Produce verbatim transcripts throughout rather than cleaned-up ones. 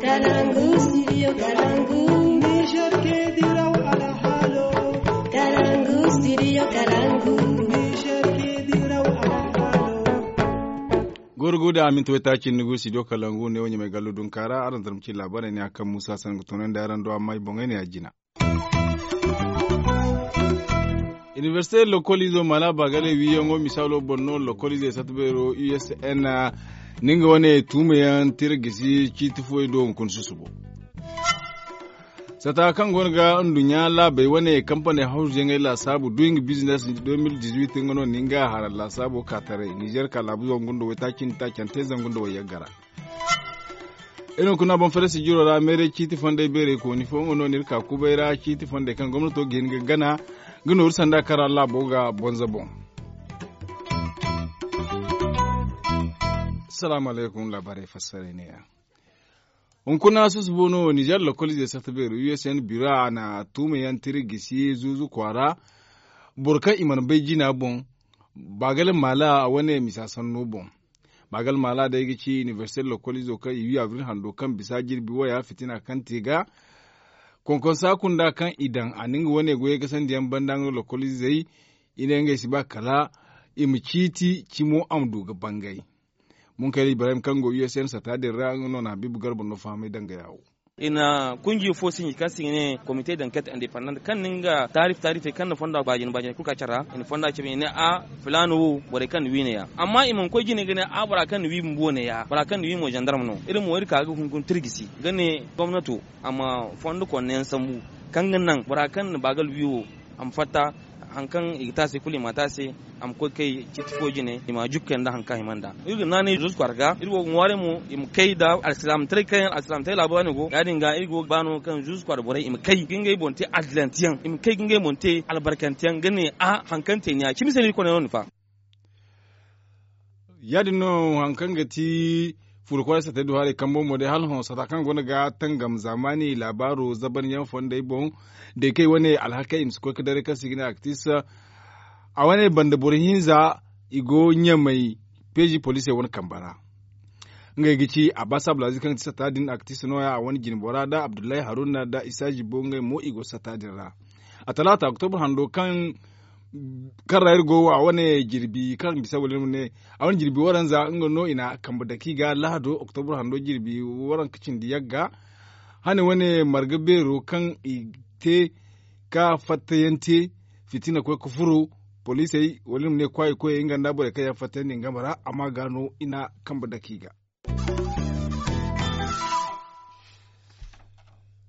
Kalangu, studio Kalangu. Niger ke diraw alhalo. Kalangu, studio Kalangu. Niger ke diraw alhalo. Goro go da aminta waytaaci ni go studio Kalangu ne wo ɲamay gallo dunkaara araŋ zarma ci laabaarey ne a kaŋ muusa sangu toonandi araŋ do amma i boŋey ne a jina. Inibersite lokoliizo mala baagale wiiyaŋo misaalo boŋ no lokoliizey sata beero u s n. Ni nga wane tuumayaŋ tira gisi ciiti fooyaŋ do hunkuna susubo. Sata kaŋ go no ga nduɲɲa laabey wane kampaney hawzuyaŋey laasaabu duuyaŋ bizines. De mil dizuwit nga no ni nga hara laasaabo ka taray nizer ka laabu zangu nda waytaaci nda taacante zangu nda wayyaggara. Iri hunkuna boŋ farasi jiro ra meeray ciiti fondey beerey kooni fo nga no no iri ka kubay ra ciiti fondey kaŋ gomnato ga hin ga gana ga nooru sanda kaŋ ra laabo ga bonza boŋ. Salaamu alaykum laabaarey fassarey neeya. Hunkuna susubo no nizer lokoliizey sarta beero u s n biro a na tuumayaŋ tira gisi zuuzu kwaara boro kaŋ i mana bay jina boŋ. Baagale maala wane misa sanno boŋ. Baagale maala day ga ci inibersite lokoliizo kaŋ i wi abril hando kaŋ bisa jirbi waya fitina kaŋ te ga konkonsa kunda kaŋ i daŋ a na nga wane goyey gasandi yaŋ banda nga lokoliizey i ne ngey si ba kala i ma ciiti cimo a ma du ga bangay. Munkayra ibrahim kaŋ go u s n sata din ra nga no na habiibu garba no fahamay danga yaawo. I na kunji fo sinji kaŋ se i ga ne komite danket independent kaŋ na nga taarif taarifey kaŋ na fonda baajina baajina kulu ka care ra i na fonda cabe i ne a filaana wo borey kaŋ na wiine ya amma i mana koy jine ga ne a bora kaŋ na wi bumbo ne ya bora kaŋ na wi mo zandarma no iri mo iri ka ga hunkuna tirgisi ga ne gomnato a ma fondo konne yaŋ sambu kaŋ ga naŋ bora kaŋ na baagal wi wo a ma fatta. Hari kaŋ i ga te a se kulu i ma a te a se a ma koy kay ciiti fo jine i ma a jukka yaŋ nda hari kaŋ a hima nd'a. Iri ga naanay zuuzu kwaara ga iri go ga ŋwaaray mo i ma kay nda alsilaamataray kaŋ yaŋ alsilaamataray laabo yaŋ no go ya- din ga iri go ga ba no kaŋ zuuzu kwaara borey i ma kay ga ngey boŋ te addilanteyaŋ i ma kay ga ngey boŋ te albarkanteyaŋ ga ne a hari kaŋ te ni ya cimi se no iri koney no ni fa. Ya- din no hari kaŋ ga ti furo kwaara satey du haray kambo mo day hala hõ sata kaŋ go no ga tangam zaamaani laabaaro zabanyaŋ fondey boŋ. Day kaŋ ay wane alhakey i ma si koy ga daray kaŋ se i ga ne aktis a wane banda boro hinza i go ɲamay peezi poliisey wane kambe ra. Ngey ga ci abbas abdulaziz kaŋ ga ti sata din aktis nooya a wane jinbora nda abdullahi haruna nda isa zibo ngey mo i go sata din ra. A talaata oktobur hando kaŋ ra iri go wo a wane jirbi kaŋ bisa wala iri ma ne a wane jirbi waranza nga no i na kambe dake i ga lahado oktobur hando jirbi waranka cindi yagga. Hane wane marga beero kaŋ i te ka fattayaŋ te fitina koy ga furo poliisey wala iri ma ne kwaayi koyey nga nda borey kaŋ yaŋ fattayandi i game ra amma ga no i na kambe dake i ga.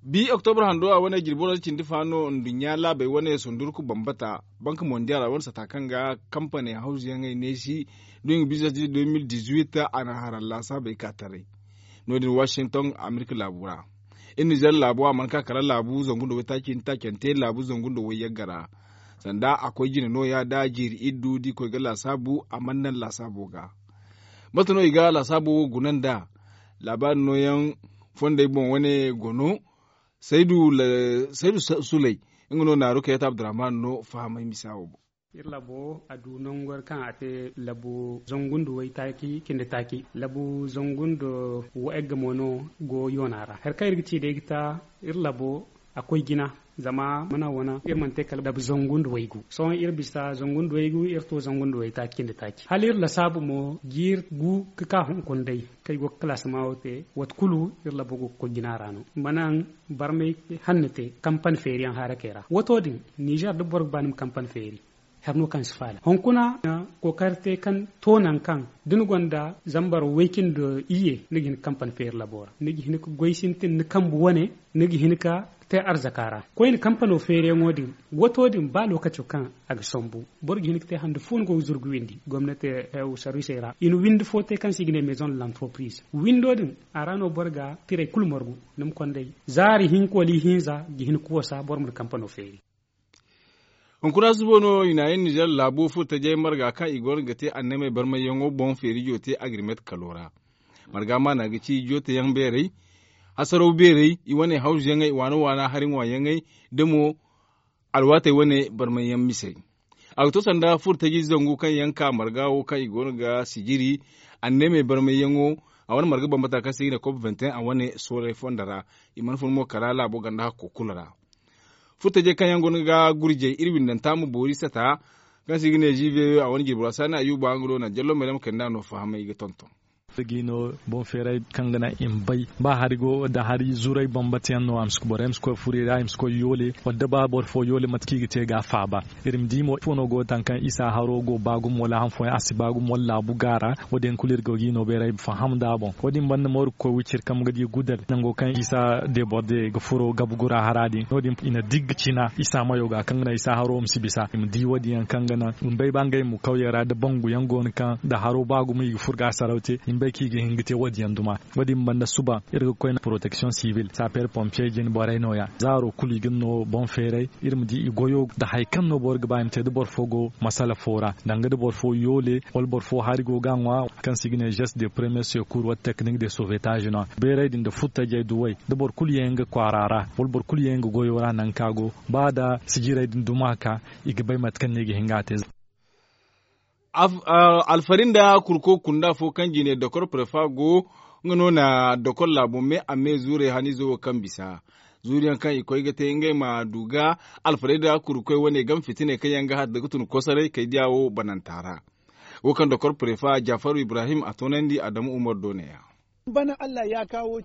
Bi oktobur hando a wane jirbi wara cindi fa no nduɲɲa laabey wane sundurku bambata banka mondiyaal a wane sata kaŋ ga kampaney hawzuyaŋey neesi duɲɲa biznes di deux mille dix-huit a na hara laasaabey ka taray. No- din washington amerika laabu ra. Iri nizer laabo a mana ka kala laabu zangu nda waytaaci nda taacante laabu zangu nda wayyagga ra. Sanda a koy jine nooya nda jiiri iddu da i koy ga laasaabu a mana naŋ laasaabo ga. Mate no i ga laasaabo wo guna nd'a? Laabaari nooyaŋ fondey boŋ wane go no. Saydu suley nga no naaru kayta abdurrahman no fahamay misa wo boŋ. Iri labo a du nangu kaŋ a te labo zangu nda waytaaci cindi taaci labo zangu nda wayagga mo no go yoona ra hari kaŋ iri ga ci day ga ta iri labo a koy jina. Zama mana wane iri mana te kala labo zangu nda waygu sohõ iri bisa zangu nda waygu iri to zangu nda waytaaci cindi taaci hala iri lasaabu mo jiiri gu ga ka hunkuna day kaŋ ay go ga kalaasama wo te waati kulu iri labo go ga koy jina ra no. Mana barmay hanno te kampani feeriyaŋ harakey ra wato din nizer da boro ga ba ni ma kampani feeri. Hari no kaŋ si faala hunkuna kookari te kaŋ to nangu kaŋ da ni gonda zambar way-cindi iyye ni ga hin ga kampani feeri labo ra ni ga hin ga goy sintin ni kambe wane ni ga hin ga te arzaka ra koyne kampano feeriyaŋo din. Wato din ba lookaco kaŋ a ga sambu boro ga hin ga te hande fo ni go ga zuru ga windi gomnati sarwisey ra i na windi fo te kaŋ se i ga ne maison de l'entreprise windo din a ra no boro ga tirey kulu margu. Ni ma konday zaari hinka wala ihinza ga hin ga wasa boro ma ni kampano feeri. Hunkuna subo no i na iri nizer laabo furo tajey marga kaŋ i go no ga te annamey barmayyaŋo boŋ feerijo te agrimet kalo ra. Marga maana ga ci joteyaŋ beerey hasaraw beerey i wane hawzuyaŋey waana waana hari ŋwaayaŋey da mo alwaatey wane barmayyaŋ misey. A ga to sanda furo taji zangu kaŋ yaŋ ka marga wo kaŋ i go no ga sijiri annamey barmayyaŋo A wane marga bambata kaŋ se i ga ne kop vingt et un a wane soolay fonda ra. I mana fun mo kala laabo ganda hakko kulu ra. Furtajey kaŋ yaŋ go no ga gurjey iri windanta ma boori sata kaŋ se i ga ne g v o a wane jirbi ra saani ayuba nga no na jallo mayrama kayna no fahamay ga tonton. Iri ga i no boŋ feeray kaŋ ga naŋ i ma bay ba hari go da hari zuray bambata yaŋ no a ma si borey ma si koy furey ra i ma si koy yoole wala da ba boro fo yoole mate kaŋ i ga te ga a faaba. Iri ma di mo ifo no go ga taŋ kaŋ isa haro go ba gumo wala han fooyaŋ a si ba gumo wala laabu gaara. Wo- din kulu iri go ga i no bayray faham nd'a boŋ wo- din banda mooru ga koy wiciri kaŋ ga di gudal nango kaŋ isa deborde ga furo gabu gura hara din no- din i na digga cina isa mayo ga kaŋ ga naŋ isa haro ma si bisa i ma di wo- din yaŋ kaŋ ga naŋ i ma bay ba ngey mo kawyey ra da bangu yaŋ go no kaŋ da haro ba gumo i ga furo ga a saraw te i ma bay kaŋ i ga hin ga te wo- din yaŋ duma. Wo- din banda suba iri ga koy na poroteksiyoŋ sibil saper pompiye jine borey no- ya zaaro kulu i ga no boŋ feeray. Iri ma di i goyo nda hari kaŋ no boro ga ba i ma te da boro fo go masala fo ra danga da boro fo yoole wala boro fo hari go ga a ŋwa kaŋ se i ga ne geste de premier secours wala technique de sauvetage no- ya bayray din nda furtajey duwey da boro kulu ye nga kwaara ra wala boro kulu ye nga goyo ra nangu kaŋ a go ba nda sijirey din duma ka i ga bay mate kaŋ no i ga hin ga a te. Alfari nda kurko kunda fo kaŋ jine dokor prefa go nga no na dokor laabo me a me zuurey haniizo wo kaŋ bisa zuuriyaŋ kaŋ i koy ga te ngey ma du ga alfarey da kurkoy wane game fitiney kaŋ yaŋ ga har da ga tun kosoray kay diya wo bananta ra. Wo kaŋ dokor prefa jafaru ibrahim a toonandi adamu umar do ne ya.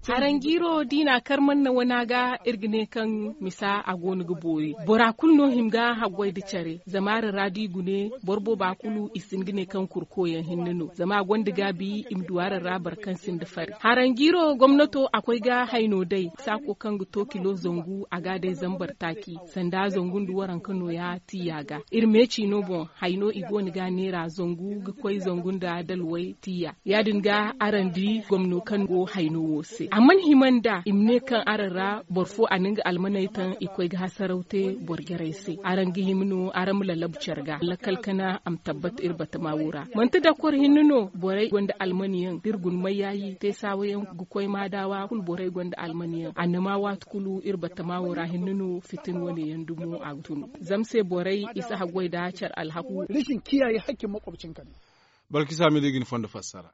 Haranjiiro da i na a kar manna wana ga iri ga ne kaŋ misa a go no ga boori bora kulu no hima ga haggoy nda care zama araŋ ra da i gune boro booba kulu i si hin ga ne kaŋ kurko yaŋ hinne no zama a gonda gaabi i ma du araŋ ra boro kaŋ sinda fari. Haranjiiro gomnato a koy ga hayno day saako kaŋ ga to kilo zangu a ga a day zambar taaci sanda zangu nda waranka nooya tiiya ga. Iri meeci no boŋ hayno i go no ga a neera zangu ga koy zangu nda dalway tiiya ya- din ga araŋ di gomno kaŋ go hayno wo se a mana hima nda i ma ne kaŋ araŋ ra boro fo a na nga almaney taŋ i koy ga hasaraw te boro jarey se araŋ ga hima no araŋ ma lalabu care ga lakkal kana a ma tabbat iri batama wo ra manti dakor hinne no borey gonda almaniyaŋ da iri guna mayyaayi te saawayaŋ ga koy maadaawa kulu borey gonda almaniyaŋ annama waati kulu iri batama wo ra hinne no fitin wane yaŋ dumo a ga tun zama se borey i si haggoy nda care alhaku. Balkisa mi da i ga ni fondo fassara.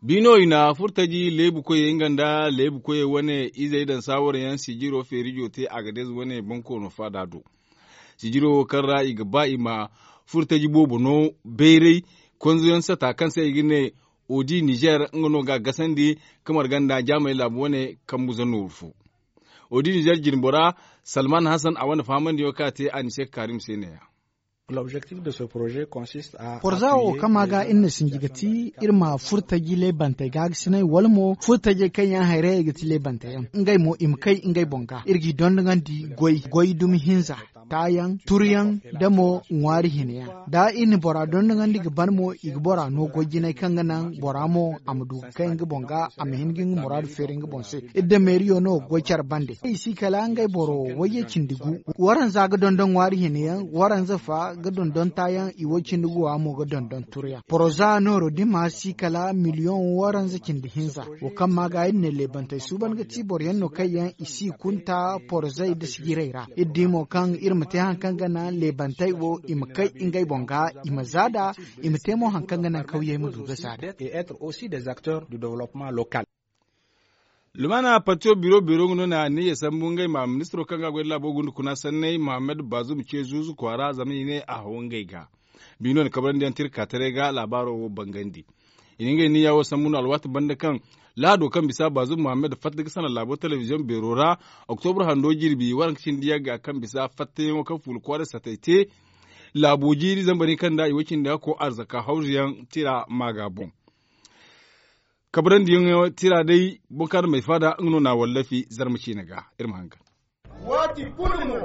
Biino i na furtaji leebu koyey nga nda leebu koyey wane izey daŋ saawara yaŋ sijiro feerijo te a ga deeze wane bonkoono faada do. Sijiro wo kaŋ ra i ga ba i ma furtaji boobo no bayray konzoyaŋ sata kaŋ se i ga ne odi nizer nga no ga a gasandi ka marga nda jaamey laabu wane kambu zanno wurfu. Odi nizer jinbora salman hasan a wane fahamandiyaŋo kaŋ a te a ni se ga kaarim se ne- ya. Porza wo kaŋ ma ga iri na sinji ga ti iri ma furtaji leebantey gaagasinay wala mo furtajey kaŋ yaŋ hayray ga ti leebantey yaŋ ngey mo i ma kay ngey boŋ ga iri g'i dondogandi goy goy dumi hinza taayaŋ turyaŋ da mo ŋwaari hina yaŋ da iri na bora dondogandi ga ban mo i ga bora no goy jinay kaŋ ga naŋ bora mo a ma du ga kay nga boŋ ga a ma hin ga nga muraadu feeri nga boŋ se. Iri da meeriyo no ga goy care bande i si kala ngey boro wayye cindi gu. Waranza ga dondon ŋwaari hina yaŋ waranza fa ga dondon taayaŋ i way cindi guwa mo ga dondon turyaŋ poroza nooro dima si kala miliyoŋ waranza cindi hinza. Wo kaŋ ma ga iri ne leebantey suuban ga ti boro yaŋ no kaŋ yaŋ i si kunta porozey da sijirey ra iri di mo kaŋ iri ma te hari kaŋ ga naŋ leebantey wo i ma kay ngey boŋ ga i ma za nd'a i ma te mo hari kaŋ ga naŋ kawyey ma du ga za nd'a. Lumana partiyo biro biro nga no na niya sambu ngey ma ministiro kaŋ ga goy da laabo gunda kuna sanney mohammed bazum ce zuuzu kwaara zama i ne a haw ngey ga. Biino na kabrandi yaŋ tirka taray ga laabaaro wo bangandi. I na ngey niya wo sambu no alwaati banda kaŋ lahado kaŋ bisa bazum mohammed fatta ga sana laabo telebiziyoŋ beero ra oktobra hando jirbi waranka cindi yagga kaŋ bisa fattayaŋo kaŋ fuula kwaaray satay te. Laabo jiiri zambar hinka nda i way cindi hakko arzaka hawzuyaŋ tira maaga boŋ. Kabrandiyaŋo tira day boŋ kaŋ araŋ ma ay faada nga no na a wallafi zarma ciine ga. Iri ma hangan. Waati kulu mo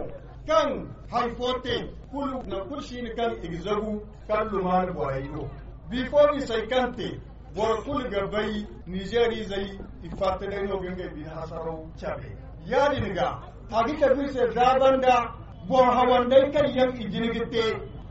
kaŋ hari fo te kulu nangu kulu si hin kaŋ i ga zagu kala lumaana borey do. Bifo misey kaŋ te boro kulu ga bay nizeer izey i fatta day no ga ngey bine hasaraw cabe. Ya-din ga a ga cabe iri se za banda boŋ hawandey kaŋ yaŋ i jin ga te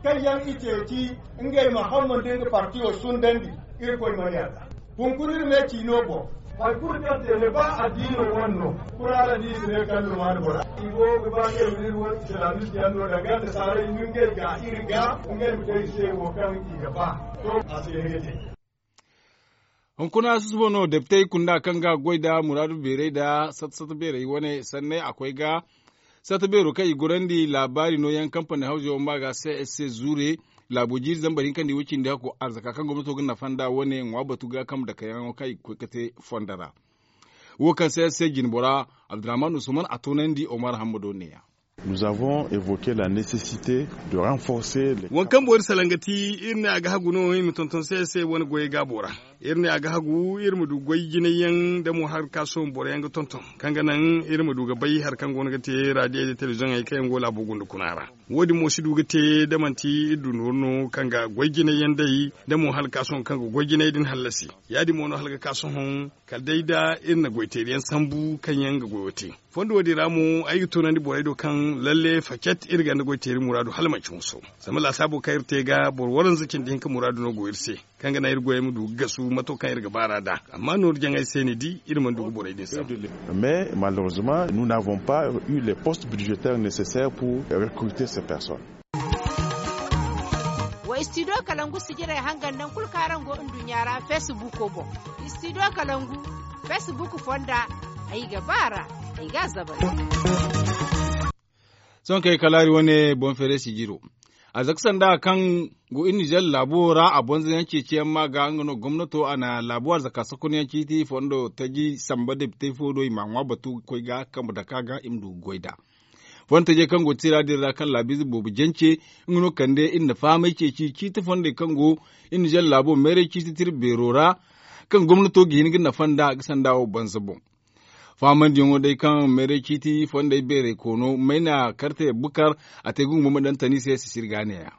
kaŋ yaŋ i ceeci ngey ma hamma nda nga partiyo sundandi. Irkoy mana yaada. Hunkuna iri me ciino boŋ. Hari kulu kaŋ te ne ba addiino wane no kuraara da i si ne kaŋ lumaani bora i go ga ba ngey ma iri wane islamistiyaŋ no danga nasaaray nda ngey ga iri ga ngey ma te i se wo kaŋ i ga ba. To a se ne ga te. Hunkuna susubo no depitey kunda kaŋ ga goy nda muraadu beeray nda sata sata beeray wane sanney a koy ga sata beero kaŋ i gorandi laabaari nooyaŋ kampani hawzo ma ga c s c zuure laabo jiiri zambar hinka nda i way cindi hakko arzaka kaŋ gomnato ga nafa nda wane ŋwa batu ga kambe dakayaŋo kaŋ i ga koy ga te fondo ra. Wo kaŋ se se jinbora abdurrahman usman a toonandi omar hammado neeya. Nous avons évoqué la nécessité de renforcer les waŋ kaŋ boori salangati iri ne a ga hagu no iri ma tonton se se wane goyey gaabo ra. Iri ne a ga hagu iri ma du goy jinay yaŋ da mo hari ka sohõ boro yaŋ ga tonton kaŋ ga naŋ iri ma du ga bay hari kaŋ go no ga te raadiyey da telebiziyoŋey kaŋ yaŋ go laabo gunda kuna ra. Wo- din mo si du ga te da manti iri du nooru no kaŋ ga goy jinay yaŋ day da mo hala ka sohõ kaŋ ga goy jinay din hallasi. Ya- din mo no hala ga ka sohõ kala day da iri na goy teeri yaŋ sambu kaŋ yaŋ ga goyo te. Fondo wo- din ra mo ay ga tunandi borey do kaŋ lalle facet iri ganda goy teeri muraadu hala manci hunso. Zama laasaabo kaŋ iri te ga boro waranza cindi hinka muraadu no go iri se kaŋ ga naŋ iri goyey ma du ga gasu mato kaŋ iri ga baar'a nd'a. Amma nooru jaŋay se ni di iri mana du ga borey din sambu. Mais malheureusement nous n'avons pas eu les postes budgétaires nécessaires pour recruter ces personnes. Wa istidiyo kalangu sijirey hangan naŋ kulu kaŋ araŋ go nduɲɲa ra feesibuuko boŋ. Istidiyo kalangu feesibuuko fonda ay ga ba a ra. Ay ga a zabal. Sohõ kaŋ ay kalaari wane boŋ feeray sijiro. Arzaka sanda kaŋ go iri nizer laabo ra a bonza yaŋ ceeciyaŋ ma ga nga no gomnato a na laabo arzaka sakunyaŋ ciiti fondo taji samba depitey fo do i ma a ŋwa batu ga koy ga kambe daka ga i ma du ga goy nd'a. Fondo tajey kaŋ go tira din ra kaŋ laabiize boobo jance nga no kande iri na fahamay ceeci ciiti fondey kaŋ go iri nizer laabo meeray ciiti tira beero ra kaŋ gomnato ga hin ga nafa nd'a ga sanda wo banza boŋ. Fahamandiyaŋo day kaŋ meeray ciiti fondey beeray koono mayna karte bukar a te ga ngumba ma daŋ tani se sisiri ga neeya.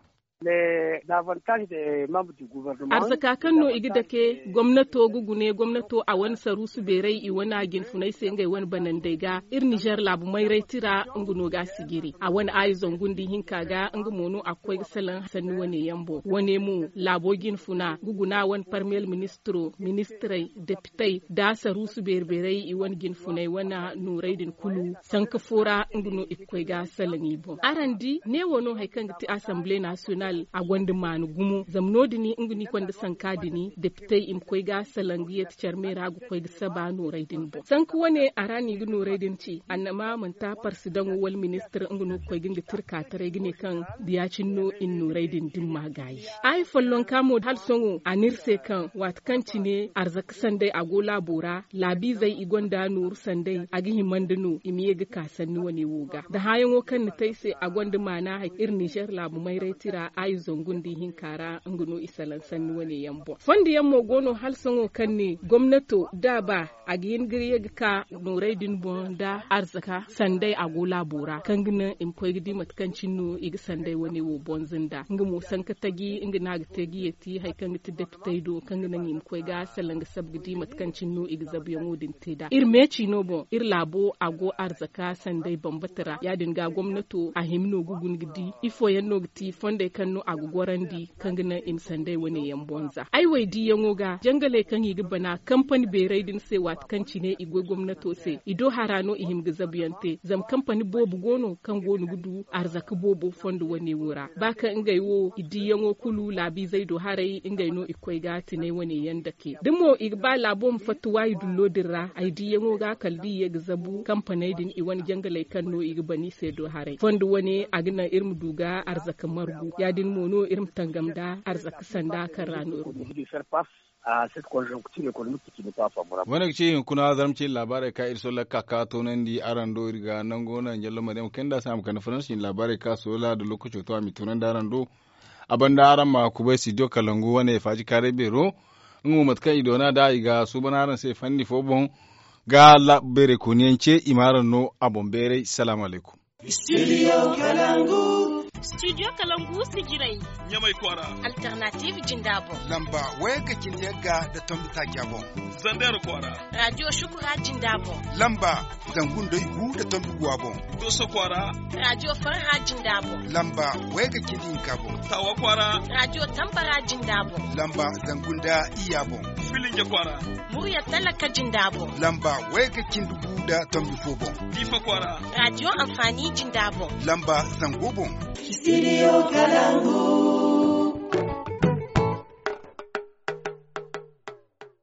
Arzaka kaŋ no i ga dake gomnato ga gune gomnato a wane saruusu beeray i wane jinfunay se ngey wane banandey ga iri nizer laabu mayray tira nga no ga a sijiri a wane aayi zangu nda ihinka ga nga mo no a ga koy ga salaŋ sanni wane yaŋ boŋ wane mo laabo jinfuna ga guna wane parmiyel ministiro ministirey depitey da saruusu beeri beeray i wane jinfunay wane nooray din kulu sanka fo ra nga no i ga koy ga salaŋ i boŋ araŋ di neewo no hari kaŋ ga ti asamble nasiyonal a gonda maana gumo zama no- din nga no i konda sanka din depitey i ma koy ga salaŋ ga yeeti care me ra ga koy ga saba nooray din boŋ sanka wane a ra no i ga nooray din ci annama manti a parsidaŋo wala ministir nga no ga koy ga nga tirka taray ga ne kaŋ da ya- cine no i na nooray din dimma gaayi. Aayi follonka mo hala sohõ a n'iri se kaŋ waati kaŋ cine arzaka sanday a go laabo ra laabiizey i gonda nooru sanday a ga hima nda no i ma ye ga ka sanni wane wo ga da hããyaŋo kaŋ ni te ay se a gonda maana hari iri nizer laabu mayray tira aayi zangu nda ihinka ra nga no i salaŋ sanni wane yaŋ boŋ fondo yaŋ mo go no hala sohõ kaŋ ne gomnato da a ba a ga hin ga ye ga ka nooray din boŋ nda arzaka sanday a go laabo ra kaŋ ga naŋ i ma koy ga di mate kaŋ cine no i ga sanday wane wo bonza nda nga mo sanka taji nga no a ga te ga yeeti hari kaŋ ga ti depitey do kaŋ ga naŋ i ma koy ga salaŋ ga sabu ga di mate kaŋ cine no i ga zabuyaŋo din te nd'a iri meeci no boŋ iri laabo a go arzaka sanday bambata ra ya- din ga gomnato a hima no ga guna ga di ifo yaŋ no ga ti fondey kaŋ no a ga gorandi kaŋ ga naŋ i ma sanday wane yaŋ bonza ay wo ay diyaŋo ga jangaley kaŋ i ga bana kampani beeray din se waati kaŋ cine i goy gomnato se i do hara no i hima ga zabuyaŋ te zama kampani boobo go no kaŋ go no ga du arzaka boobo fondo wane wo ra ba kaŋ ngey wo i diyaŋo kulu laabiizey do haray ngey no i ga koy ga tinay wane yaŋ dake da mo i ga ba laabo ma fatta waayi dullo din ra ay diyaŋo ga kala da i ye ga zabu kampaney din i wane jangaley kaŋ no i ga bana i se do haray fondo wane a ga naŋ iri ma du ga arzaka margu ya- din mo no iri ma tangam nda arzaka sanda kaŋ ra no iri go. Wane ga ci hunkuna zarma ci laabaarey kaŋ iri solla ga ka ga toonandi araŋ do iri ga nango naŋ ɲallo maryam kayna nda a si a ma kande faransi laabaarey kaŋ a solla nda lookaco to a m'i toonandi araŋ do. A banda araŋ ma kubay studio kalangu wane faaji kaaray beero. Nga mo mate kaŋ i doona nd'a i ga suuban araŋ se fanni fo boŋ ga beeray kooniyaŋ ce i ma araŋ no a boŋ beeray salaamu alaykum. Studio kalangu. Studio kalangu sijirey. Ɲamay kwaara. Alternative jinda boŋ. Lamba wayga cindi yagga nda tombi taaca boŋ. Zander kwaara. Radio shukura jinda boŋ. Lamba zangu nda igu nda tombi guwa boŋ. Doso kwaara. Radio farha jinda boŋ. Lamba wayga cindi hinka boŋ. Tawa kwaara. Radio tambara jinda boŋ. Lamba zangu nda iyya boŋ. Filinge kwaara. Murya talaka jinda boŋ. Lamba wayga cindi gu nda tombi fo boŋ. Difa kwaara. Radio amfani jinda boŋ. Lamba zango boŋ. Studio kalangu.